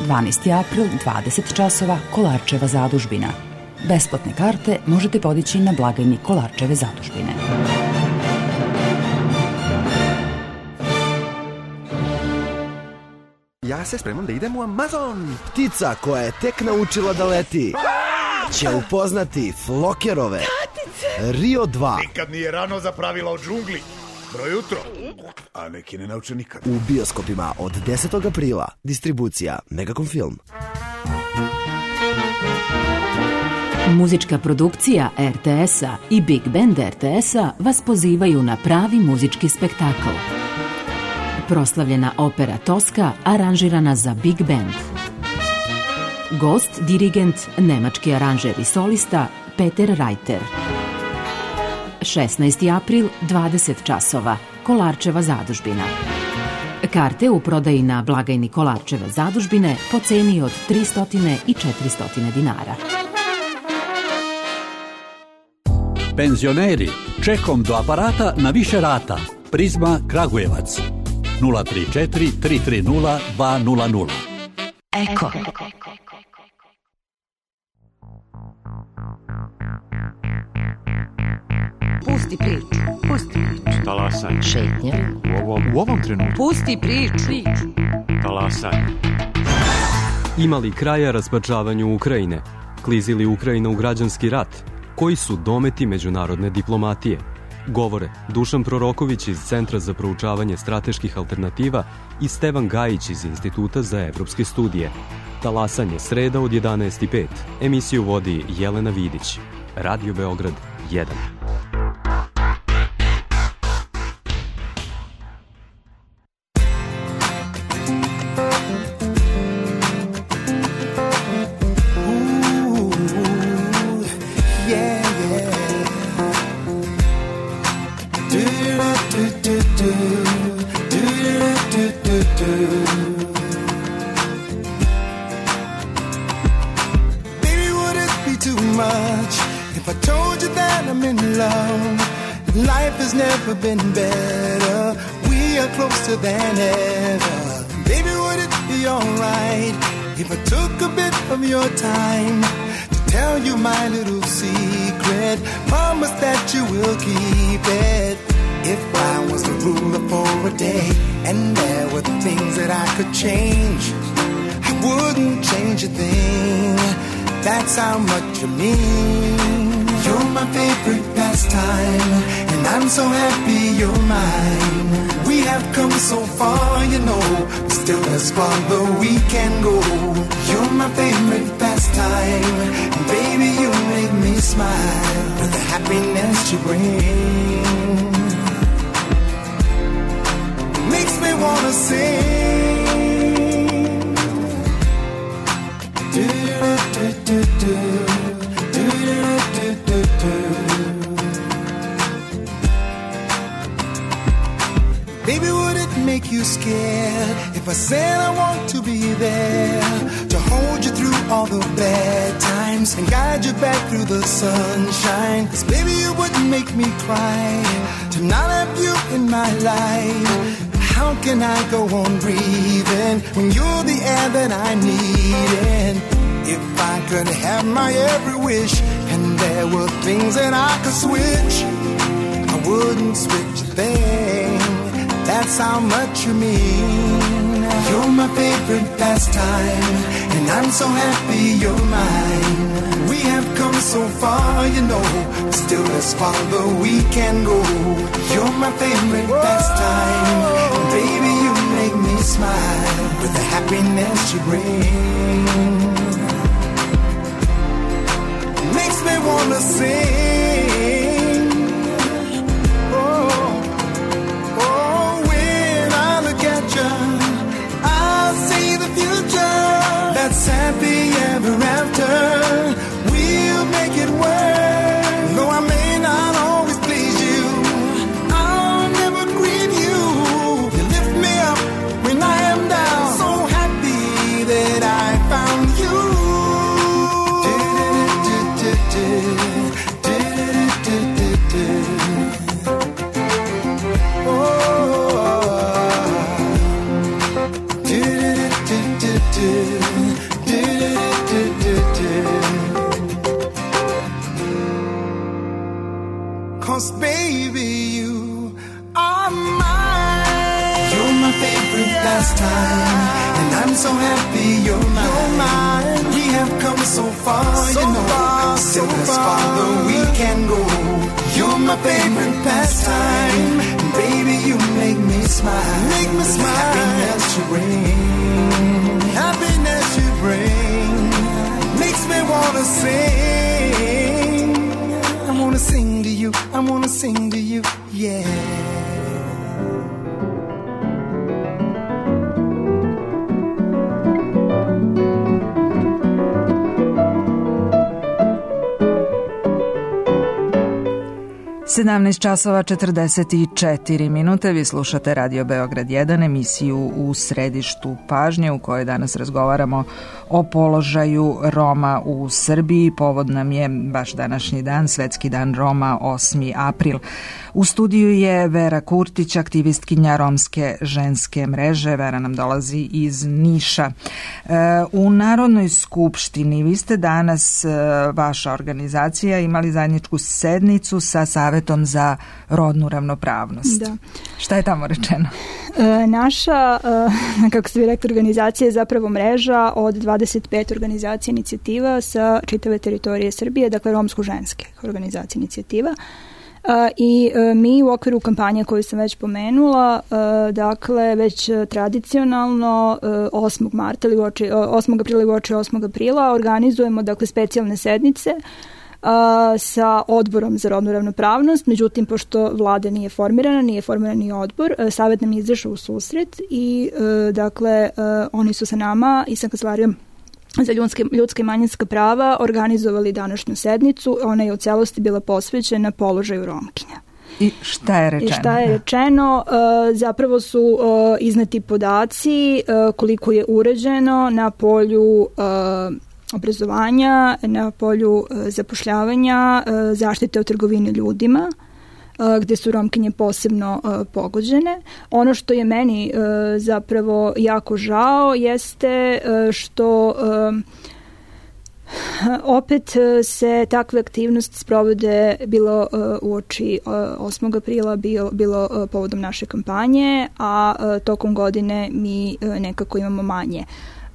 dvanaesti april, dvadeset časova, Kolarčeva zadužbina. Besplatne karte možete podići na blagajni Kolarčeve zadužbine. Ja se spremam da idem u Amazon. Ptica koja je tek naučila da leti će upoznati Flokerove. Rio dva. Nikad nije rano za pravila o džungli. Broj jutro, a neki ne nauče nikad. U bioskopima od desetog aprila. Distribucija Megacom Film. Muzička produkcija R T S-a i Big Band R T S-a vas pozivaju na pravi muzički spektakl. Proslavljena opera Toska aranžirana za Big Band. Gost, dirigent, nemački aranžer i solista Peter Reiter. šesnaesti april, dvadeset časova, Kolarčeva zadužbina. Karte u prodaji na blagajni Kolarčeve zadužbine po ceni od tristo i četiristo dinara. Penzioneri, čekom do aparata na više rata. Prizma Kragujevac. nula tri četiri tri tri nula dva nula nula. Eko. Pusti priču. Pusti priču. Talasaj. Šetnja. U ovom, u ovom trenutku. Pusti priču. priču. Talasaj. Ima li kraja rasparčavanju Ukrajine? Klizi li Ukrajina u građanski rat? Koji su dometi međunarodne diplomatije? Govore Dušan Proroković iz Centra za proučavanje strateških alternativa i Stevan Gajić iz Instituta za evropske studije. Talasanje sreda od jedanaest i pet. Emisiju vodi Jelena Vidić. Radio Beograd jedan. Been better, we are closer than ever. Baby, would it be alright if I took a bit of your time to tell you my little secret? Promise that you will keep it. If I was the ruler for a day and there were things that I could change, I wouldn't change a thing. That's how much you mean. You're my favorite pastime, and I'm so happy you're mine. We have come so far, you know, but still as far as we can go. You're my favorite pastime, and baby, you make me smile with the happiness you bring. Makes me wanna sing. Do do do do. Baby, would it make you scared if I said I want to be there to hold you through all the bad times and guide you back through the sunshine? 'Cause baby, you wouldn't make me cry to not have you in my life. How can I go on breathing when you're the air that I need? And if I could have my every wish and there were things that I could switch, I wouldn't switch a thing. That's how much you mean. You're my favorite pastime, and I'm so happy you're mine. We have come so far, you know, still as far as we can go. You're my favorite pastime, and baby, you make me smile with the happiness you bring. Makes me wanna sing. Oh, oh, when I look at you, I see the future. That's happy ever after. We'll make it work. Though I may not always please you, I'll never grieve you. You lift me up when I am down. So happy that I found you. Cause baby, you are mine. You're my favorite pastime, and I'm so happy you're mine. You're mine. We have come so far, so you know, far, still so as far as we can go. You're my favorite pastime, and baby, you make me smile. Make me smile. Happiness you bring, happiness you bring, makes me wanna sing. I wanna sing to you, I wanna sing to you, yeah. sedamnaest časova četrdeset četiri minute, vi slušate Radio Beograd jedan, emisiju U središtu pažnje u kojoj danas razgovaramo o položaju Roma u Srbiji. Povod nam je baš današnji dan, Svetski dan Roma, osmi april. U studiju je Vera Kurtić, aktivistkinja Romske ženske mreže. Vera nam dolazi iz Niša. U Narodnoj skupštini vi ste danas, vaša organizacija, imali zajedničku sednicu sa Savetom za rodnu ravnopravnost. Da. Šta je tamo rečeno? E, naša, e, kako ste vi rekli, organizacija je zapravo mreža od dvadeset pet organizacija inicijativa sa čitave teritorije Srbije, dakle romsko-ženske organizacije inicijativa. Uh, I uh, mi u okviru kampanje koju sam već pomenula, uh, dakle već tradicionalno uh, osmog marta ili uoči, uh, osmog aprila i uoči osmog aprila organizujemo dakle specijalne sednice uh, sa odborom za rodnu ravnopravnost. Međutim, pošto vlada nije formirana, nije formiran ni odbor, uh, Savet nam je izašao u susret i uh, dakle uh, oni su sa nama i sa Kancelarijom za ljudske, ljudske i manjinska prava organizovali današnju sednicu. Ona je u celosti bila posvećena položaju Romkinja. I šta je rečeno? I šta je rečeno? Uh, zapravo su uh, izneti podaci uh, koliko je uređeno na polju uh, obrazovanja, na polju uh, zapošljavanja, uh, zaštite od trgovine ljudima, gde su Romkinje posebno uh, pogođene. Ono što je meni uh, zapravo jako žao jeste uh, što uh, opet se takve aktivnosti sprovode bilo uh, uoči uh, osmog aprila, bilo, bilo uh, povodom naše kampanje, a uh, tokom godine mi uh, nekako imamo manje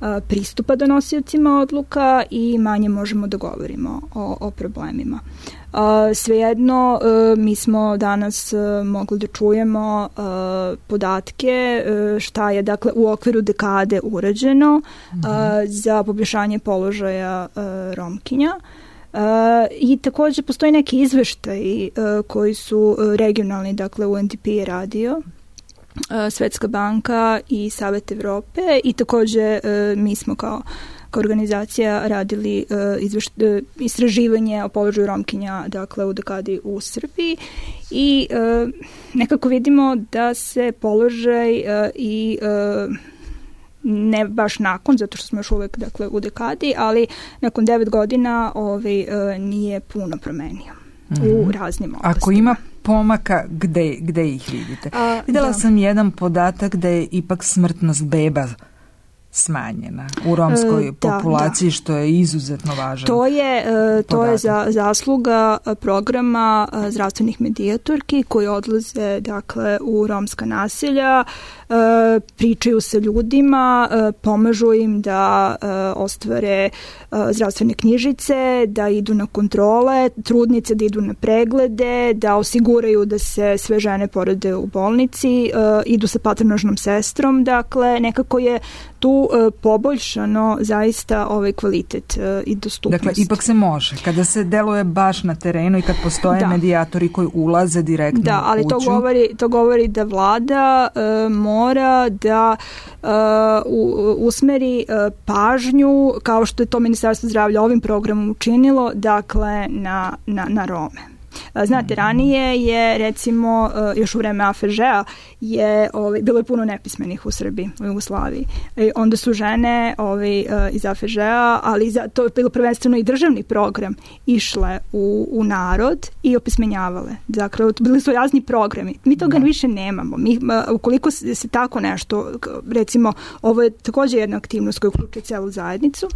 uh, pristupa donosiocima odluka i manje možemo da govorimo o, o problemima. Uh, svejedno, uh, mi smo danas uh, mogli da čujemo uh, podatke uh, šta je dakle u okviru dekade urađeno uh, za poboljšanje položaja uh, Romkinja. Uh, I takođe postoji neki izveštaji uh, koji su uh, regionalni, dakle U N D P je radio, uh, Svetska banka i Savet Evrope i takođe uh, mi smo kao organizacija radili uh, izveš, uh, istraživanje o položaju Romkinja dakle u dekadi u Srbiji i uh, nekako vidimo da se položaj uh, i uh, ne baš nakon, zato što smo još uvek dakle u dekadi, ali nakon devet godina ovaj, uh, nije puno promenio mm-hmm. u raznim oblastima. Ako ima pomaka, gde, gde ih vidite? A, Videla da. sam jedan podatak da je ipak smrtnost beba smanjena u romskoj da, populaciji, da. Što je izuzetno važno. To je, to je za, zasluga programa zdravstvenih medijatorki koji odlaze dakle, u romska naselja, pričaju sa ljudima, pomažu im da ostvare zdravstvene knjižice, da idu na kontrole, trudnice da idu na preglede, da osiguraju da se sve žene porode u bolnici, idu sa patronažnom sestrom, dakle nekako je tu poboljšano zaista ovaj kvalitet i dostupnost. Dakle, ipak se može. Kada se deluje baš na terenu i kad postoje da. medijatori koji ulaze direktno da, u ali kuću. To govori, to govori da vlada uh, mora da uh, u, usmeri uh, pažnju, kao što je to Ministarstvo zdravlja ovim programom učinilo, dakle, na, na, na Rome. Znate, ranije je, recimo, još u vreme A F Ž-a je, ovaj, bilo je puno nepismenih u Srbiji, u Jugoslaviji. I onda su žene ovaj, iz A F Ž-a, ali za, to je bilo prvenstveno i državni program, išle u, u narod i opismenjavale. Dakle, bili su razni programi. Mi toga da. više nemamo. Mi, ukoliko se, se tako nešto, recimo, ovo je takođe jedna aktivnost koja uključuje celu zajednicu,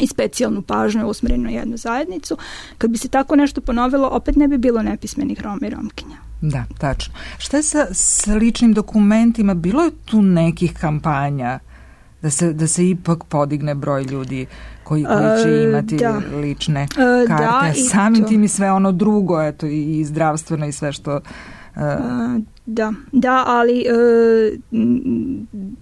i specijalnu pažnju usmerenu na jednu zajednicu. Kad bi se tako nešto ponovilo, opet ne bi bilo nepismenih Roma i Romkinja. Da, tačno. Šta je sa, sa ličnim dokumentima? Bilo je tu nekih kampanja da se, da se ipak podigne broj ljudi koji, koji će imati uh, da. lične uh, karte? Da, samim tim i sve ono drugo, eto, i zdravstveno i sve što... Uh, uh, Da, da, ali e,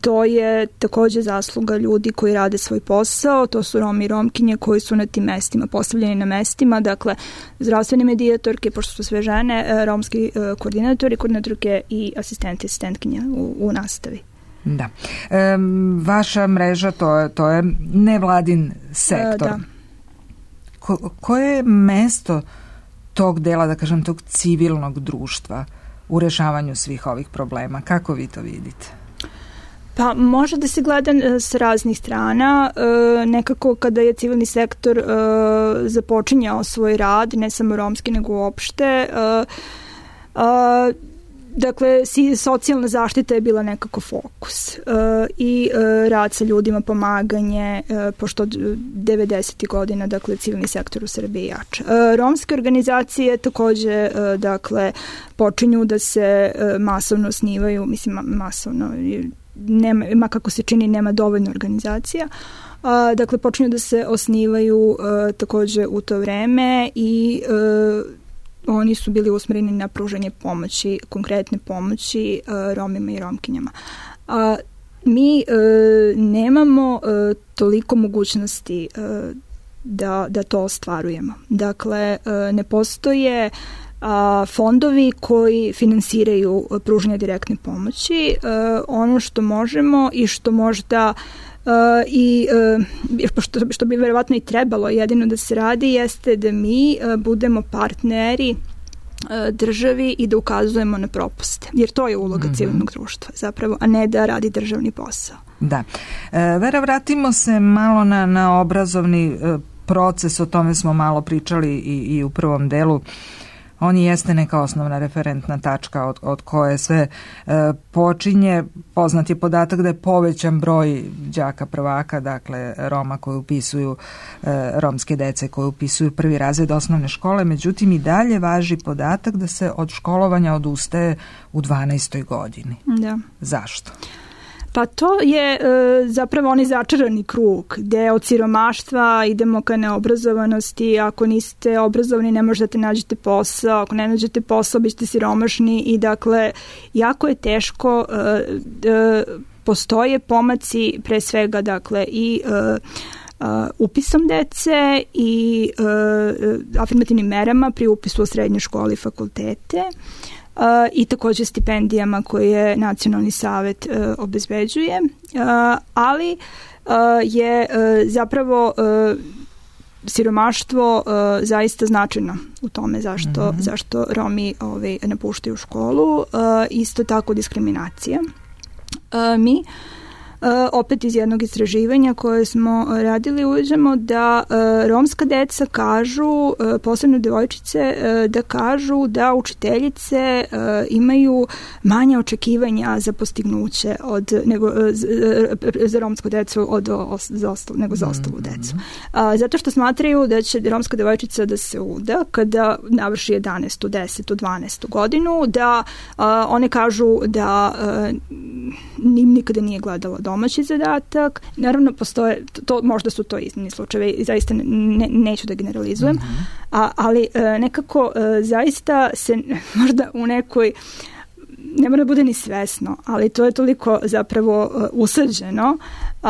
to je takođe zasluga ljudi koji rade svoj posao, to su Romi i Romkinje koji su na tim mestima, postavljeni na mestima, dakle, zdravstvene medijatorke, pošto su sve žene, e, romski e, koordinatori, koordinatorke i asistenti, asistentkinje u, u nastavi. Da. E, vaša mreža, to je, to je nevladin sektor. E, da. Ko, koje je mesto tog dela, da kažem, tog civilnog društva u rešavanju svih ovih problema? Kako vi to vidite? Pa može da se gleda s raznih strana. E, nekako kada je civilni sektor e, započinjao svoj rad, ne samo romski nego uopšte, e, A, Dakle, socijalna zaštita je bila nekako fokus uh, i uh, rad sa ljudima, pomaganje, uh, pošto devedesetih godina, dakle, civilni sektor u Srbiji jača. Uh, romske organizacije takođe, uh, dakle, počinju da se uh, masovno osnivaju, mislim, ma- masovno, nema, ma kako se čini, nema dovoljno organizacija. Uh, dakle, počinju da se osnivaju uh, takođe u to vreme i uh, oni su bili usmereni na pružanje pomoći, konkretne pomoći uh, Romima i Romkinjama. Uh, mi uh, nemamo uh, toliko mogućnosti uh, da, da to ostvarujemo. Dakle, uh, ne postoje uh, fondovi koji finansiraju uh, pružanje direktne pomoći. Uh, ono što možemo i što možda Uh, i uh, što, što bi verovatno i trebalo jedino da se radi jeste da mi uh, budemo partneri uh, državi i da ukazujemo na propuste, jer to je uloga mm-hmm. civilnog društva zapravo, a ne da radi državni posao. Da. E, Vera, vratimo se malo na, na obrazovni e, proces, o tome smo malo pričali i, i u prvom delu. On jeste neka osnovna referentna tačka od, od koje sve e, počinje. Poznat je podatak da je povećan broj đaka prvaka, dakle Roma koji upisuju, e, romske dece koji upisuju prvi razred osnovne škole, međutim i dalje važi podatak da se od školovanja odustaje u dvanaestoj godini. Da. Zašto? Pa to je e, zapravo onaj začarani krug gde od siromaštva idemo ka neobrazovanosti. Ako niste obrazovani ne možete nađete posao, ako ne nađete posao bićete siromašni i dakle jako je teško, e, e, postoje pomaci pre svega dakle i e, Uh, upisom dece i uh, afirmativnim merama pri upisu u srednje škole i fakultete. Uh, i takođe stipendijama koje Nacionalni savet uh, obezbeđuje, uh, ali uh, je uh, zapravo uh, siromaštvo uh, zaista značajno u tome zašto, mm-hmm. zašto Romi ovaj, napuštaju školu, uh, isto tako diskriminacija. Uh, mi Uh, opet iz jednog istraživanja koje smo radili uviđamo da uh, romska deca kažu, uh, posebno devojčice, uh, da kažu da učiteljice uh, imaju manje očekivanja za postignuće od, nego, uh, z, uh, za romsku decu od, os, za ostal, nego za ostalu decu. Uh, zato što smatraju da će romska devojčica da se uda kada navrši jedanaestu, desetu, dvanaestu godinu, da uh, one kažu da uh, nim nikada nije gledala domaći zadatak. Naravno, postoje, to, možda su to iznimni slučajevi i zaista ne, neću da generalizujem, mm-hmm. a, ali e, nekako e, zaista se možda u nekoj, ne mora da bude ni svesno, ali to je toliko zapravo uh, usađeno uh,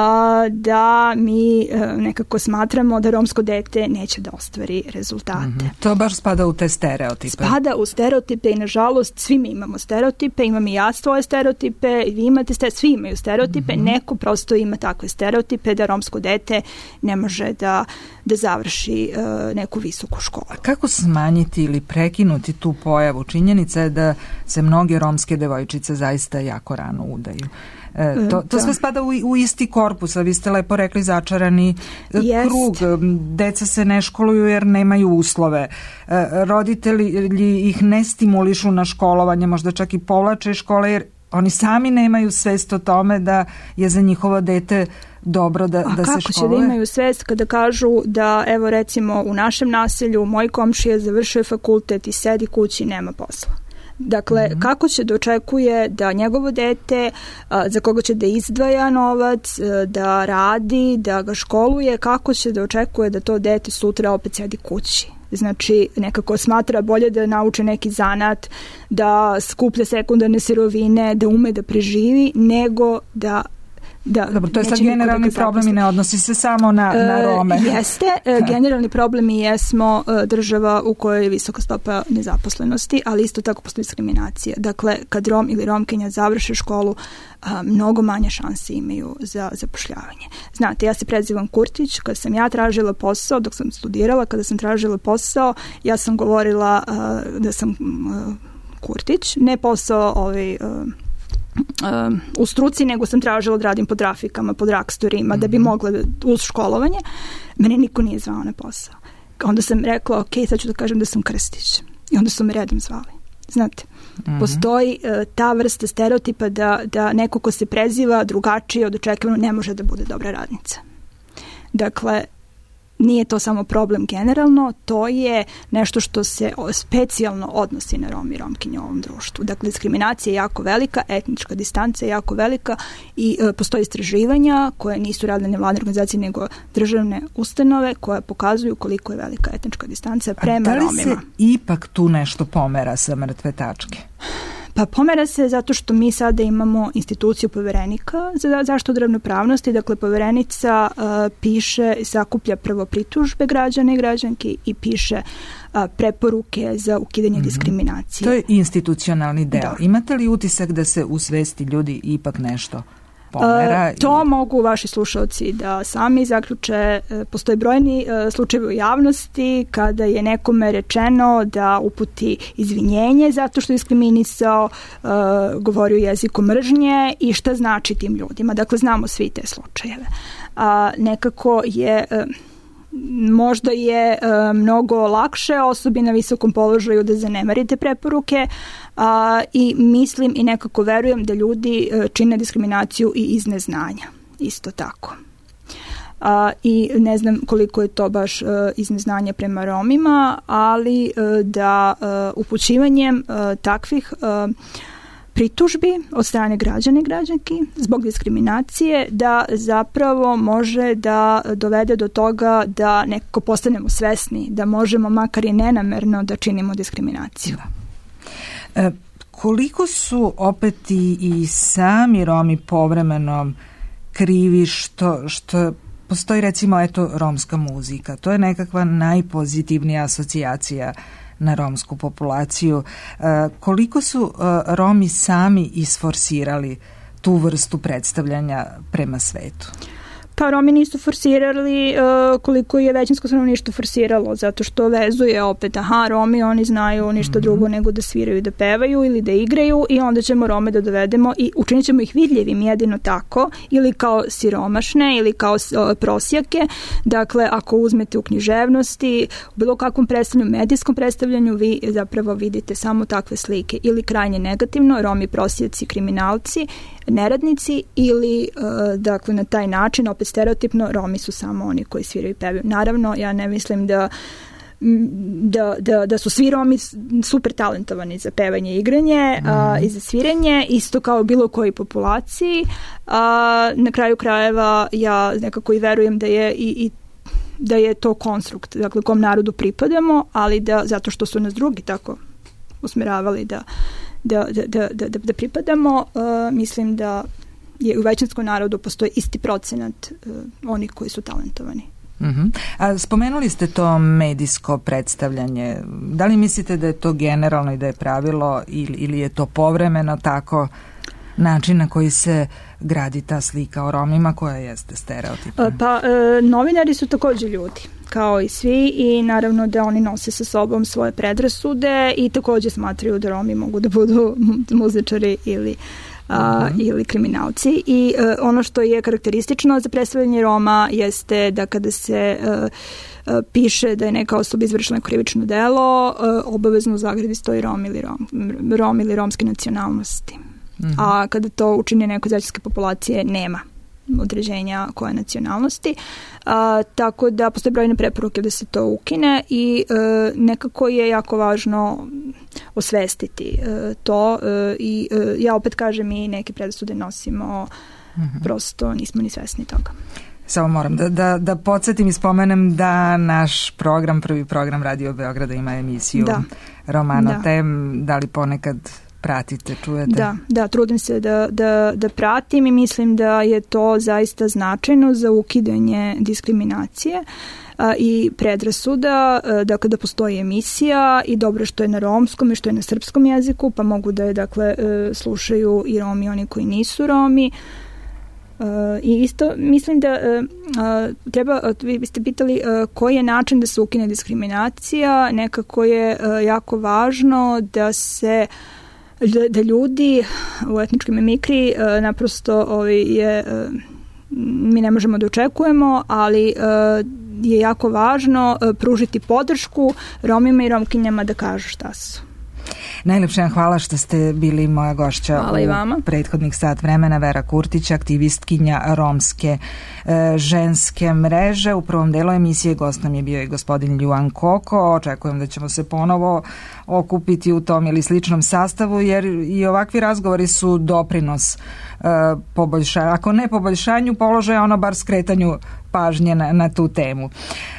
da mi uh, nekako smatramo da romsko dete neće da ostvari rezultate. Mm-hmm. To baš spada u te stereotipe. Spada u stereotipe i nažalost svi mi imamo stereotipe, imam i ja svoje stereotipe, vi imate stereotipe, svi imaju stereotipe, mm-hmm. neko prosto ima takve stereotipe da romsko dete ne može da, da završi uh, neku visoku školu. A kako smanjiti ili prekinuti tu pojavu? Činjenica je da se mnoge romske devojčice zaista jako rano udaju. E, to, to sve spada u, u isti korpus, a vi ste lepo rekli začarani Jest. krug. Deca se ne školuju jer nemaju uslove. E, roditelji ih ne stimulišu na školovanje, možda čak i povlače škole jer oni sami nemaju svest o tome da je za njihovo dete dobro da, da se školuje. A kako će da imaju svest kada kažu da, evo recimo u našem naselju moj komšija završuje fakultet i sedi kući i nema posla? Dakle, mm-hmm. kako će da očekuje da njegovo dete, a, za koga će da izdvaja novac, a, da radi, da ga školuje, kako će da očekuje da to dete sutra opet sedi kući? Znači, nekako smatra bolje da nauči neki zanat, da skuplja sekundarne sirovine, da ume da preživi, nego da Da, Dobro, to je sad generalni problem i ne odnosi se samo na, na Rome. E, jeste, e, generalni problem i jesmo e, država u kojoj je visoka stopa nezaposlenosti, ali isto tako postoji diskriminacija. Dakle, kad Rom ili Romkinja završe školu, a, mnogo manje šanse imaju za zapošljavanje. Znate, ja se prezivam Kurtić, kada sam ja tražila posao, dok sam studirala, kada sam tražila posao, ja sam govorila a, da sam a, Kurtić, ne posao ovaj... A, Um, u struci, nego sam tražila da radim po trafikama, po dragstorima, mm-hmm. da bi mogla da, uz školovanje. Mene niko nije zvao na posao. Onda sam rekla, ok, sad ću da kažem da sam Krstić. I onda su me redom zvali. Znate, mm-hmm. postoji uh, ta vrsta stereotipa da, da neko ko se preziva drugačije od očekivano ne može da bude dobra radnica. Dakle, nije to samo problem generalno, to je nešto što se specijalno odnosi na Romi i Romkinje u ovom društvu. Dakle, diskriminacija je jako velika, etnička distanca je jako velika i e, postoje istraživanja koje nisu radile nevladine organizacije nego državne ustanove koje pokazuju koliko je velika etnička distanca prema Romima. A da li se ipak tu nešto pomera sa mrtve tačke? Pa pomera se zato što mi sada imamo instituciju poverenika za zaštitu ravnopravnosti. Dakle, poverenica uh, piše, sakuplja prvo pritužbe građana i građanki i piše uh, preporuke za ukidanje mm-hmm. diskriminacije. To je institucionalni deo. Da. Imate li utisak da se u svesti ljudi ipak nešto pomera? Uh, to i... mogu vaši slušalci da sami zaključe. Uh, postoje brojni uh, slučajevi u javnosti kada je nekome rečeno da uputi izvinjenje zato što je diskriminisao, uh, govorio jezikom mržnje i šta znači tim ljudima. Dakle, znamo svi te slučajeve. Uh, nekako je... Uh, možda je uh, mnogo lakše osobi na visokom položaju da zanemarite preporuke uh, i mislim i nekako verujem da ljudi uh, čine diskriminaciju i iz neznanja. Isto tako. Uh, I ne znam koliko je to baš uh, iz neznanja prema Romima, ali uh, da uh, upućivanjem uh, takvih uh, pritužbi od strane građana i građanki zbog diskriminacije da zapravo može da dovede do toga da nekako postanemo svesni da možemo makar i nenamerno da činimo diskriminaciju. Da. E, koliko su opet i, i sami Romi povremeno krivi što, što postoji recimo eto romska muzika, to je nekakva najpozitivnija asocijacija na romsku populaciju. E, koliko su e, Romi sami isforsirali tu vrstu predstavljanja prema svetu? Pa Romi nisu forsirali uh, koliko je većinsko stanovništvo forsiralo, zato što vezuje opet, aha, Romi, oni znaju ništa mm-hmm. drugo nego da sviraju i da pevaju ili da igraju i onda ćemo Rome da dovedemo i učinit ćemo ih vidljivim jedino tako, ili kao siromašne ili kao uh, prosjake. Dakle, ako uzmete u književnosti, u bilo kakvom predstavljanju, medijskom predstavljanju, vi zapravo vidite samo takve slike ili krajnje negativno, Romi prosjaci, kriminalci, neradnici ili uh, dakle na taj način opet stereotipno Romi su samo oni koji sviraju i pevaju. Naravno, ja ne mislim da Da, da, da su svi Romi super talentovani za pevanje i igranje mm. a, i za sviranje, isto kao bilo koji populaciji. A, na kraju krajeva ja nekako i verujem da je i, i da je to konstrukt, dakle kom narodu pripadamo, ali da zato što su nas drugi tako usmeravali da Da, da, da, da, da pripadamo, uh, mislim da je u većinskom narodu postoji isti procenat uh, onih koji su talentovani. Uh-huh. A spomenuli ste to medijsko predstavljanje. Da li mislite da je to generalno i da je pravilo ili, ili je to povremeno tako način na koji se gradi ta slika o Romima koja jeste stereotipna? Pa e, novinari su takođe ljudi kao i svi i naravno da oni nose sa sobom svoje predrasude i takođe smatraju da Romi mogu da budu muzičari ili a, uh-huh. ili kriminalci i a, ono što je karakteristično za predstavljanje Roma jeste da kada se a, a, piše da je neka osoba izvršila krivično delo, a, obavezno u zagradi stoji Rom ili, Rom, Rom ili romske nacionalnosti. Uh-huh. A kada to učini neko zajedničke populacije nema određenja koje nacionalnosti. A, tako da postoje brojne preporuke da se to ukine i e, nekako je jako važno osvestiti e, to e, i e, ja opet kažem i neke predrasude nosimo, mm-hmm. prosto nismo ni svesni toga. Samo moram da, da, da podsjetim i spomenem da naš program, prvi program Radio Beograda ima emisiju da. Romanotem, da. da li ponekad pratite, čujete? Da, da, trudim se da, da, da pratim i mislim da je to zaista značajno za ukidanje diskriminacije a, i predrasuda, a, dakle da postoji emisija i dobro što je na romskom i što je na srpskom jeziku, pa mogu da je dakle a, slušaju i Romi, oni koji nisu Romi. Uh, i isto mislim da uh, uh, treba, uh, vi biste pitali uh, koji je način da se ukine diskriminacija, nekako je uh, jako važno da se da, da ljudi u etničkoj mimikri uh, naprosto ovaj, je, uh, mi ne možemo da očekujemo, ali uh, je jako važno uh, pružiti podršku Romima i Romkinjama da kažu šta su. Najlepše vam hvala što ste bili moja gošća hvala i vama. U prethodnih sat vremena. Vera Kurtić, aktivistkinja romske e, ženske mreže. U prvom delu emisije gost nam je bio i gospodin Ljuan Koko. Očekujem da ćemo se ponovo okupiti u tom ili sličnom sastavu, jer i ovakvi razgovori su doprinos e, poboljšanju, ako ne poboljšanju položaja, ono bar skretanju pažnje na, na tu temu.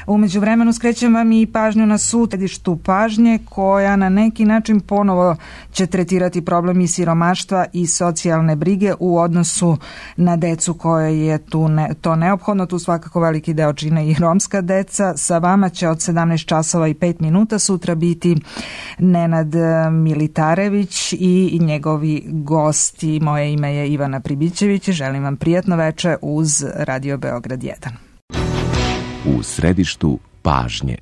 U međuvremenu skrećem vam i pažnju na sud središtu pažnje, koja na neki način ponovo će tretirati problem i siromaštva i socijalne brige u odnosu na decu koje je tu ne, to neophodno. Tu svakako veliki deo čine i romska deca. Sa vama će od sedamnaest časova i pet minuta sutra biti Nenad Militarević i njegovi gosti. Moje ime je Ivana Pribićević i želim vam prijatno veče uz Radio Beograd jedan. U središtu pažnje.